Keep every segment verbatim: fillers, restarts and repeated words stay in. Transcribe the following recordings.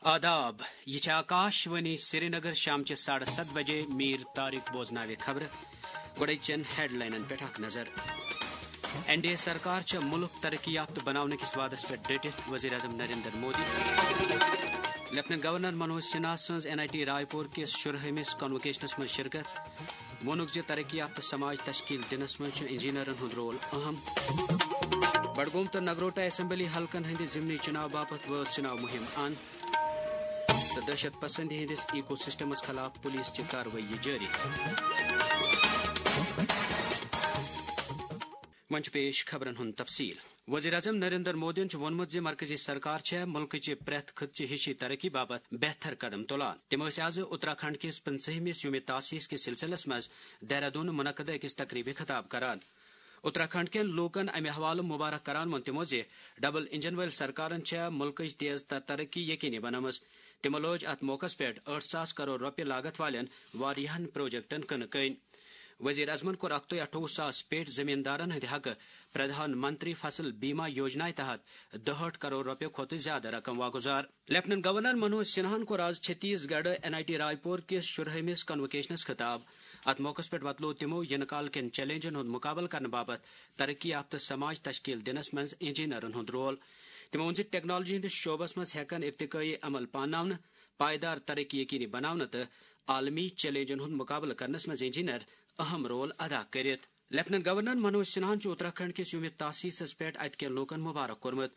آداب، یہِ چھِ آکاش وانی سرینگر۔ شامچہِ ساڑٕ ستھ بجے میٖر طارق بوزناوِ خبرٕ۔ گۄڈَے چٮ۪ن ہیڈلاینن پٮ۪ٹھ اکھ نظر۔ این ڈی اے سرکار چھےٚ مُلک ترقی یافتہٕ بناونہٕ کِس وعدس پٮ۪ٹھ ڈٔٹِتھ، وزیر اعظم نریندر مودی۔ لیفٹیننٹ گورنر منوج سنہا سٕنٛز این آئی ٹی راے پور کِس شُرہٲمِس کانووکیشنس منٛز شرکت۔ ووٚنُکھ زِ ترقی یافتہٕ سماج تشکیل دِنس منٛز چھُ انجینئرن ہُنٛد رول اہم۔ بڈگوم تہٕ نگروٹا اسمبلی حلقن ہٕنٛدِ ضمنی چُناو باپتھ وٲژ چُناو مُہِم اند۔ تہٕ دہشت پسندی ہٕنٛدِس ایکو سسٹمس خلاف پولیس چہِ کاروٲیی جٲری۔ وۄنۍ چھُ پیش خبرن ہُنٛد تفصیل۔ وزیر اعظم نریندر مودیَن چھُ ووٚنمُت زِ مرکزی سرکار چھےٚ مُلکٕچہِ پرٛٮ۪تھ خٕطچہِ ہِشی ترقی باپتھ بہتر قدم تُلان۔ تِم ٲسۍ آز اتراکھنڈ کِس پٕنٛژٕہمِس یومِ تاسیس کِس سلسلس منٛز دہرادون منعقدٕ أکِس تقریبہِ خطاب کران۔ اتراکھنڈ کٮ۪ن لوٗکن امہِ حوالہٕ مبارک کران ووٚن تِمو زِ ڈبل انجن وٲلۍ سرکارن چھےٚ مُلکٕچ تیز تر ترقی یقینی بنٲومٕژ۔ تِمو لٲج اتھ موقعس پٮ۪ٹھ ٲٹھ ساس کرور رۄپیہِ لاگت والٮ۪ن واریاہن پروجیکٹن کٕنہٕ کٔنۍ۔ وزیر اعظمن کوٚر اکھ تہٕ اٹھووُہ ساس پیٹہِ زمیٖندارن ہٕنٛدِ حقہٕ پردھان منتری فصل بیمہ یوجنا تحت دُہٲٹھ کرور رۄپیہِ کھۄتہٕ زیادٕ رقم واگُزار۔ لیفٹیننٹ گورنر منوج سنہاہن کوٚر آز چھتیس گڑھ این آئی ٹی راے پور کِس شُرہٲمِس کانووکیشنس خطاب۔ اتھ موقعس پٮ۪ٹھ وۄتلوو تِمو یِنہٕ کال کٮ۪ن چیلنجن ہُنٛد مُقابلہٕ کرنہٕ باپتھ ترقی یافتہٕ سماج تشکیل دِنس منٛز انجینئرن ہُنٛد رول۔ تِمو ووٚن زِ ٹیکنالوجی ہٕنٛدِس شعبس منٛز ہٮ۪کن ارتقٲیی عمل پاناونہٕ، پائیدار ترقی یقینی بناونہٕ تہٕ عالمی چیلنجن ہُنٛد مُقابلہٕ کرنس منٛز انجینئر اہم رول ادا کٔرِتھ۔ لیفٹیننٹ گورنر منوج سنہاہن چھُ اتراکھنڈ کِس یومِ تاسیسس پٮ۪ٹھ اتہِ کٮ۪ن لوٗکن مبارک کوٚرمُت۔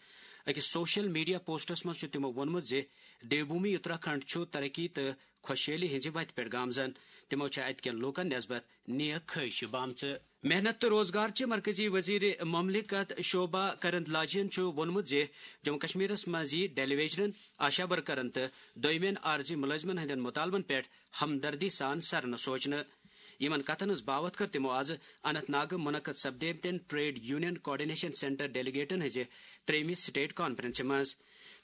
أکِس سوشل میڈیا پوسٹس منٛز چھُ تِمو ووٚنمُت زِ دیوبھومی اتراکھنڈ چھُ ترقی تہٕ خۄشحٲلی ہٕنٛزِ وتہِ پٮ۪ٹھ گامزن۔ تِمو چھےٚ اتہِ کٮ۪ن لوٗکن نسبت نیک خٲہشہِ بامژٕ۔ محنت تہٕ روزگار چہِ مرکزی وزیر مملکت شوبھا کرندلاجین چھُ ووٚنمُت زِ جموں کشمیرس منٛز یِیہِ ڈیلی ویجرن، آشا ورکرن تہٕ دویمٮ۪ن عارضی مُلٲزمن ہٕنٛدٮ۪ن مُطالبن پٮ۪ٹھ ہمدردی سان سرنہٕ سوچنہٕ۔ یِمن کتھن ہٕنٛز باوتھ کٔر تِمو آز اننت ناگہٕ منعقد سپدیمتٮ۪ن ٹریڈ یونین کوآرڈینیشن سینٹر ڈیلیگیٹن ہٕنٛزِ ترٛیٚیمہِ سٹیٹ کانفرنسہِ منٛز۔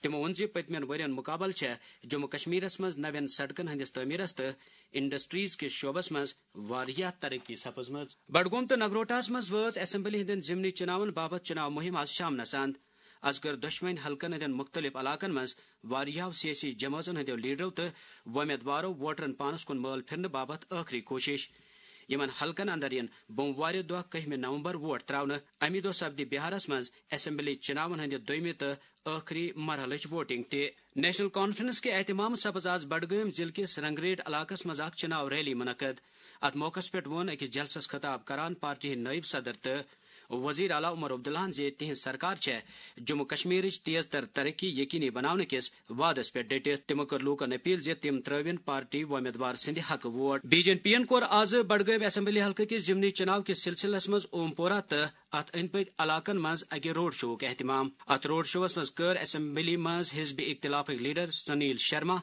تِمو ووٚن زِ پٔتمٮ۪ن ؤرین مُقابلہٕ چھےٚ جموں کشمیرس منٛز نوٮ۪ن سڑکن ہٕنٛدِس تعمیرس تہٕ انڈسٹریز کِس شعبس منٛز واریاہ ترقی سپٕزمٕژ۔ بڈگوم تہٕ نگروٹاہس منٛز وٲژ اسمبلی ہٕنٛدٮ۪ن ضمنی چُناون باپتھ چُناو مُہِم آز شامنس اند۔ از کٔر دۄشوٕنۍ حلقن ہٕنٛدٮ۪ن مُختٔلِف علاقن منٛز واریاہو سیٲسی جمٲژن ہٕنٛدیو لیڈرو تہٕ وۄمیدوارو ووٹرن پانس کُن مٲل پھِرنہٕ باپتھ ٲخری کوٗشش۔ یِمن حلقن اندر یِن بوموارِ دۄہ کٔہمہِ نومبر ووٹ تراونہٕ۔ اَمی دۄہ سپدِ بہارس منٛز اسمبلی چُناون ہٕنٛدِ دوٚیمہِ تہٕ ٲخری مرحلٕچ ووٹنگ تہِ۔ نیشنل کانفرنس کہِ اہتمام سپٕز آز بڈگٲمۍ ضلعہٕ کِس رنگریٹ علاقس منٛز اکھ چُناو ریلی منعقد۔ اتھ موقعس پٮ۪ٹھ ووٚن أکِس جلسس خطاب کران پارٹی ہٕنٛدۍ نٲیِب صدر تہٕ وزیر اعلیٰ عمر عبداللہن زِ تِہنٛز سرکار چھےٚ جموں کشمیرٕچ تیز تر ترقی یقینی بناونہٕ کِس وعدس پٮ۪ٹھ ڈٔٹِتھ۔ تِمو کٔر لوٗکن اپیل زِ تِم ترٲوِن پارٹی وۄمیدوار سٕنٛدِ حقہٕ ووٹ۔ بی جے پی ین کوٚر آز بڈگٲمۍ اسمبلی حلقہٕ کِس ضمنی چُناو کِس سلسلس منٛز اوم پورہ تہٕ اتھ أنٛدۍ پٔکۍ علاقن منٛز اکہِ روڈ شوہُک اہتمام۔ اتھ روڈ شوس منٛز کٔر اسمبلی منٛز حزب اختلافٕکۍ لیڈر سنیل شرما،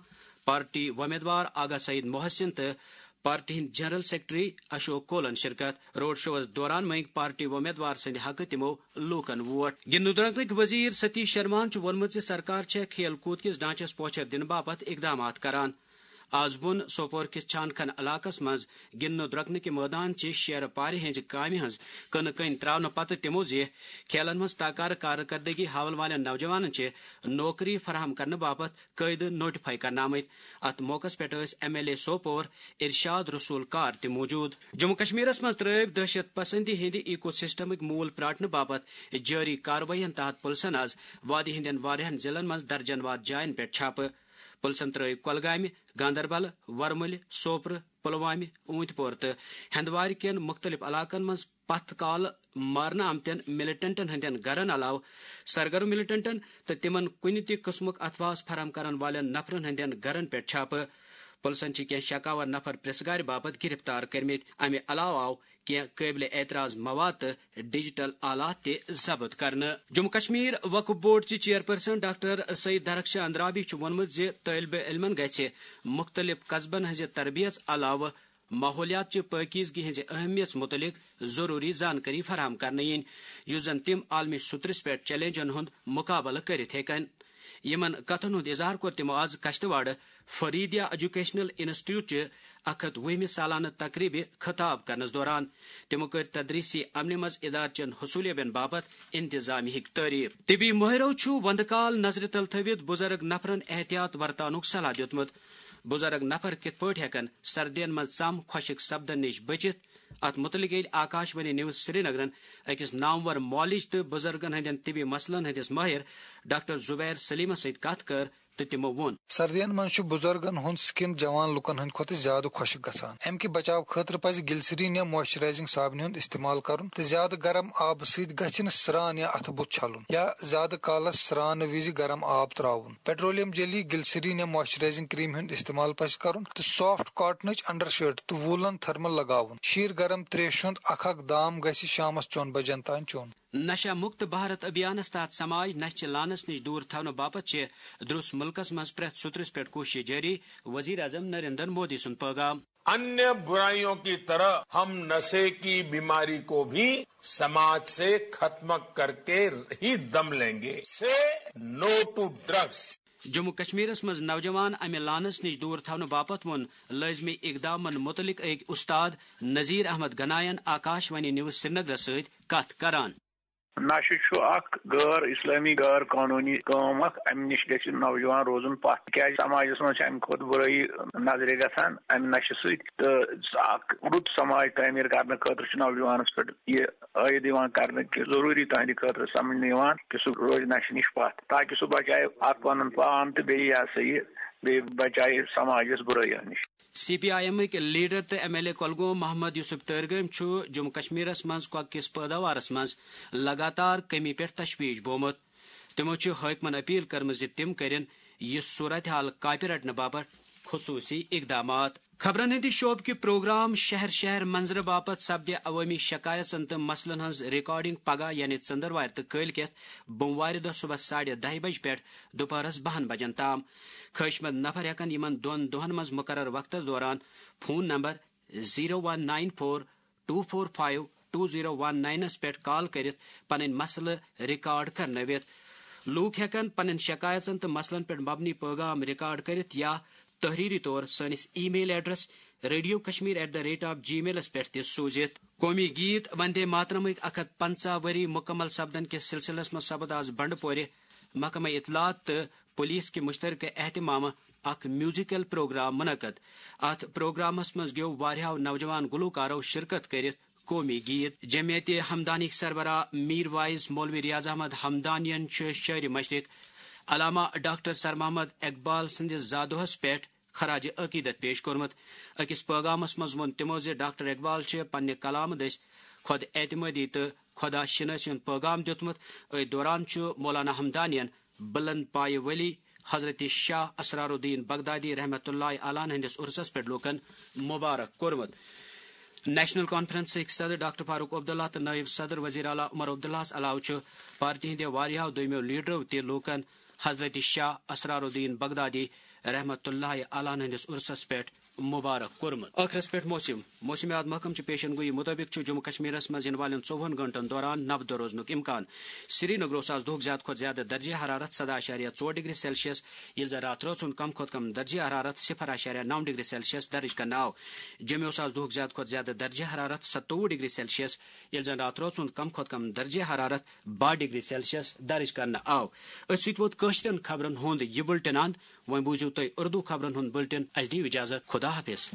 پارٹی وۄمیدوار آغا سعید محسن تہٕ پارٹی ہٕنٛدۍ جنرل سیکرٹری اشوک کولن شرکت۔ روڈ شوس دوران مٔنگۍ پارٹی وۄمیدوار سٕنٛدِ حقہٕ تِمو لوٗکن ووٹ۔ گِنٛدنہٕ درۄکنٕکۍ وزیر ستیش شرماہن چھُ ووٚنمُت زِ سرکار چھےٚ کھیل کوٗد کِس ڈھانچس پوچھر دِنہٕ باپتھ اقدامات کران۔ آز ووٚن سوپور کِس چھان کھن علاقس منٛز گِنٛدنہٕ درۄکنہٕ کہِ مٲدان چہِ شیرٕ پارِ ہٕنٛزِ کامہِ ہٕنٛز کٕنہٕ کٔنۍ تراونہٕ پتہٕ تِمو زِ کھیلن منٛز تاکارٕ کارکردگی ہاون والٮ۪ن نوجوانن چھِ نوکری فراہم کرنہٕ باپتھ قٲعدٕ نوٹیفائی کرنہٕ آمٕتۍ۔ اتھ موقعس پٮ۪ٹھ ٲسۍ ایم ایل اے سوپور ارشاد رسول کار تہِ موجود۔ جموں کشمیرس منٛز ترٲوۍ دہشت پسندی ہٕنٛدِ ایکو سسٹمٕکۍ موٗل پراٹنہٕ باپتھ جٲری کاروٲیین تحت پُلسن آز وادی ہٕنٛدٮ۪ن واریاہن ضلعن منٛز درجن واد جاین پٮ۪ٹھ چھاپہٕ۔ پُلسن ترٲوۍ کۄلگامہِ، گاندربل، ورمُلہِ، سوپرٕ، پلوامہِ، اوٗنتۍ پور تہٕ ہندوارِ کٮ۪ن مُختٔلِف علاقن منٛز پتھ کالہٕ مارنہٕ آمتٮ۪ن ملیٹنٹن ہٕنٛدٮ۪ن گرن علاوٕ سرگرم ملیٹنٹن تہٕ تِمن کُنہِ تہِ قٕسمُک اتھواس فراہم کرن والٮ۪ن نفرن ہٕنٛدٮ۪ن گرن پٮ۪ٹھ چھاپہٕ۔ پُلسن چھِ کینٛہہ شکاور نفر پریس گارِ باپتھ گرفتار کٔرمٕتۍ۔ امہِ علاوٕ آو کینٛہہ قٲبلِ اعتراض مواد تہٕ ڈیجیٹل آلات تہِ ضبط کرنہٕ۔ جموں کشمیر وقف بورڈ چہِ چیئرپرسن ڈاکٹر سعید درخش اندرابی چھُ ووٚنمُت زِ طٲلبہِ علمن گژھِ مُختٔلِف قصبن ہٕنٛزِ تربیژ علاوٕ ماحولیات چہِ پٲکیزگی ہٕنٛزِ اہمیژ مُتعلق ضروری زانکٲری فراہم کرنہٕ یِنۍ، یُس زن تِم عالمی سطرس پٮ۪ٹھ چیلنجن ہُنٛد مُقابلہٕ کٔرِتھ ہیٚکن۔ یِمن کتھن ہُنٛد اظہار کوٚر تِمو آز کشتواڑٕ فریدیا ایجوکیشنل انسٹیٹیوٹ چہِ اکھ ہتھ وُہمہِ سالانہٕ تقریبہِ خطاب کرنس دوران۔ تِمو کٔر تدریسی عملہِ منٛز ادارٕ چٮ۪ن حصولیابین باپتھ انتظامیہٕک تعریف۔ طبی مٲہرو چھُ وندٕ کال نظرِ تل تھٲوِتھ بُزرگ نفرن احتیاط ورتاونُک صلاح دیُتمُت۔ بُزرگ نفر کِتھ پٲٹھۍ ہٮ۪کن سردین منٛز ژم خۄشک سپدن نِش بٔچِتھ؟ اتھ مُتعلق ییٚلہِ آکاش وانی نیوز سرینگرن أکِس نامور معالج تہٕ بُزرگن ہٕنٛدٮ۪ن طبی مسلن ہٕنٛدِس مٲہِر ڈاکٹر زبیر سلیمس سۭتۍ کتھ کٔر، تہٕ تِمو ووٚن۔ سردین منٛز چھُ بُزرگن ہُنٛد سکن جوان لوٗکن ہٕنٛدِ کھۄتہٕ زیادٕ خۄشک گژھان۔ امہِ کہِ بچاو خٲطرٕ پزِ گلسرین یا موئسچرائزنگ صابنہِ ہُنٛد استعمال کرُن تہٕ زیادٕ گرم آبہٕ سۭتۍ گژھِ نہٕ سرٛان یا اتھٕ بُتھ چھلُن یا زیادٕ کالس سرٛانہٕ وِزِ گرم آب تراوُن۔ پیٹرولیم جیلی، گلسرین یا موئسچرائزنگ کریم ہُنٛد استعمال پزِ کرُن تہٕ سافٹ کاٹنٕچ انڈر شرٹ تہٕ وولن تھرمل لگاوُن۔ شیٖر گرم تریشہِ ہُنٛد اکھ اکھ دام گژھِ شامس ژۄن بجن تام چیوٚن۔ نشہ مکت بھارت ابھیانس تحت سماج نشہ چہِ لعنس نِش دوٗر تھاونہٕ باپتھ چھِ درٛس مُلکس منٛز پرٛٮ۪تھ سوٚترس پٮ۪ٹھ کوٗشش جٲری، وزیر اعظم نریندر مودی سُنٛد پٲغام۔ अन्य बुराइयों की तरह हम नशे की बीमारी को भी समाज से खत्म करके ही दम लेंगे। Say no to drugs. Jammu کشمیرس منٛز نوجوان امہِ لعنس نِش دوٗر تھاونہٕ باپتھ ووٚن لٲزمی اقدامن مُتعلق أکۍ استاد نذیر احمد گناین آکاش وانی نیوز سرینگرس سۭتۍ کتھ کران۔ نشہٕ چھُ اکھ غٲر اسلٲمی، غٲر قانوٗنی کٲم اکھ۔ امہِ نِش گژھِ نوجوان روزُن پتھ، تِکیازِ سماجس منٛز چھِ امہِ کھۄتہٕ بُرٲیی نظرِ گژھان امہِ نشہٕ سۭتۍ۔ تہٕ اکھ رُت سماج تعمیٖر کرنہٕ خٲطرٕ چھُ نوجوانس پٮ۪ٹھ یہِ عٲید یِوان کرنہٕ کہِ ضروٗری تہنٛدِ خٲطرٕ سمجھنہٕ یِوان کہِ سُہ روزِ نشہٕ نِش پتھ، تاکہِ سُہ بچایہِ اکھ پنُن پان تہٕ بیٚیہِ، یہِ ہسا یہِ، بیٚیہِ بچایہِ سماجس بُرٲیو نِش۔ سی پی آئی ایمٕکۍ لیڈر تہٕ M L A Kulgam Mohammad Yousuf Tarigami چھُ جموں کشمیرس منٛز کۄکہٕ کِس پٲداوارس منٛز لگاتار کمی پٮ۪ٹھ تشویش بومُت۔ تِمو چھِ حٲکمن اپیل کٔرمٕژ زِ تِم کٔرِن یہِ صورتحال کاپہِ رٹنہٕ باپتھ خصوٗصی اقدامات۔ خبرن ہٕنٛدِ شعبہٕ کہِ پروگرام شہر شہر منظرٕ باپتھ سپدِ عوٲمی شکایژن تہٕ مسلن ہٕنٛز ریکارڈنگ پگاہ یعنی ژٔنٛدٕروارِ تہٕ کٲلۍ کٮ۪تھ بوموارِ دۄہ صبحس ساڑِ دَہہِ بجہِ پٮ۪ٹھ دُپہرس بَہَن بجن تام۔ خٲہِشمند نفر ہٮ۪کن یِمن دۄن دۄہن منٛز مقرر وقتس دوران phone number zero one nine four two four five two zero one ناینس پٮ۪ٹھ کال کٔرِتھ پنٕنۍ مسلہٕ ریکارڈ کرنٲوِتھ۔ لوٗکھ ہٮ۪کن پنٕنۍ شکایژن تہٕ مسلن پٮ۪ٹھ مبنی پٲغام ریکارڈ کٔرِتھ یا تحریری طور سٲنِس email address radio Kashmir at the rate of جی میلس پٮ۪ٹھ تہِ سوٗزِتھ۔ قومی گیت وندے ماترمٕکۍ اکھ ہتھ پنژاہ ؤری مکمل سپدن کِس سلسلس منٛز سپد آز بنڈٕ پورِ محکمہ اطلاعات تہٕ پولیس کہِ مشترکہ اہتمامہٕ اکھ میوزیکل پروگرام منعقد۔ اتھ پروگرامس منٛز گیو واریاہو نوجوان گلوکارو شرکت کٔرِتھ قومی گیت۔ جمعیت ہمدانیک سربراہ میر واعظ مولوی ریاض احمد ہمدانین چھُ شٲعرِ مشرق علامہ ڈاکٹر سر محمد اقبال سٕنٛدِس زادوہس پٮ۪ٹھ خراج عقیدت پیش کوٚرمُت۔ أکِس پٲغامس منٛز ووٚن تِمو زِ ڈاکٹر اقبال چھِ پننہِ کلامہٕ دٔسۍ خۄد اعتمٲدی تہٕ خۄدا شِنٲسی ہُنٛد پٲغام دیُتمُت۔ أتھۍ دوران چھُ مولانا ہمدانین بلند پایہِ ولی حضرت شاہ اسرار الدین بغدادی رحمتہ اللہ علیہ ہٕنٛدِس عرسس پٮ۪ٹھ لوٗکن مبارک کوٚرمُت۔ نیشنل کانفرنسٕکۍ صدر ڈاکٹر فاروق عبداللہ تہٕ نٲیِب صدر وزیر اعلیٰ عمر عبداللہس علاوٕ چھُ پارٹی ہٕنٛدِ واریاہو دوٚیمٮ۪و لیڈرو تہِ لوٗکن حضرت شاہ اسرار الدین بغدادی رحمتہ اللہ علیہ ہٕنٛدِس عرسس پٮ۪ٹھ مبارک کوٚرمُت۔ ٲخرس پٮ۪ٹھ موسم۔ موسمیات محکمہٕ چہِ پیشن گویی مُطٲبِق چھُ جموں کشمیرس منٛز یِنہٕ والٮ۪ن ژوٚوُہن گٲنٛٹن دوران نبدٕ روزنُک امکان۔ سرینگر اوس آز دۄہُک زیادٕ کھۄتہٕ زیادٕ درجہ حرارت سداہ اعشاریہ ژور ڈگری سیلسیس، ییٚلہِ زن راتھ رٲژ ہُنٛد کم کھۄتہٕ کم درجہ حرارت صفر اعشاریہ نو ڈگری سیلسیس درج کرنہٕ آو۔ جوٚمہِ اوس آز دۄہُک زیادٕ کھۄتہٕ زیادٕ درجہ حرارت ستووُہ ڈگری سیلسیس، ییٚلہِ زن راتھ رٲژ ہُنٛد کم کھۄتہٕ کم درجہ حرارت باہ ڈگری سیلسیس درج کرنہٕ آو۔ أتھۍ سۭتۍ ووت کٲشرٮ۪ن خبرن ہُنٛد یہِ بُلٹن اند۔ وۄنۍ بوٗزِو تُہۍ اردو خبرن ہُنٛد بُلٹن۔ اسہِ دِیِو اجازت۔ خدا حافظ۔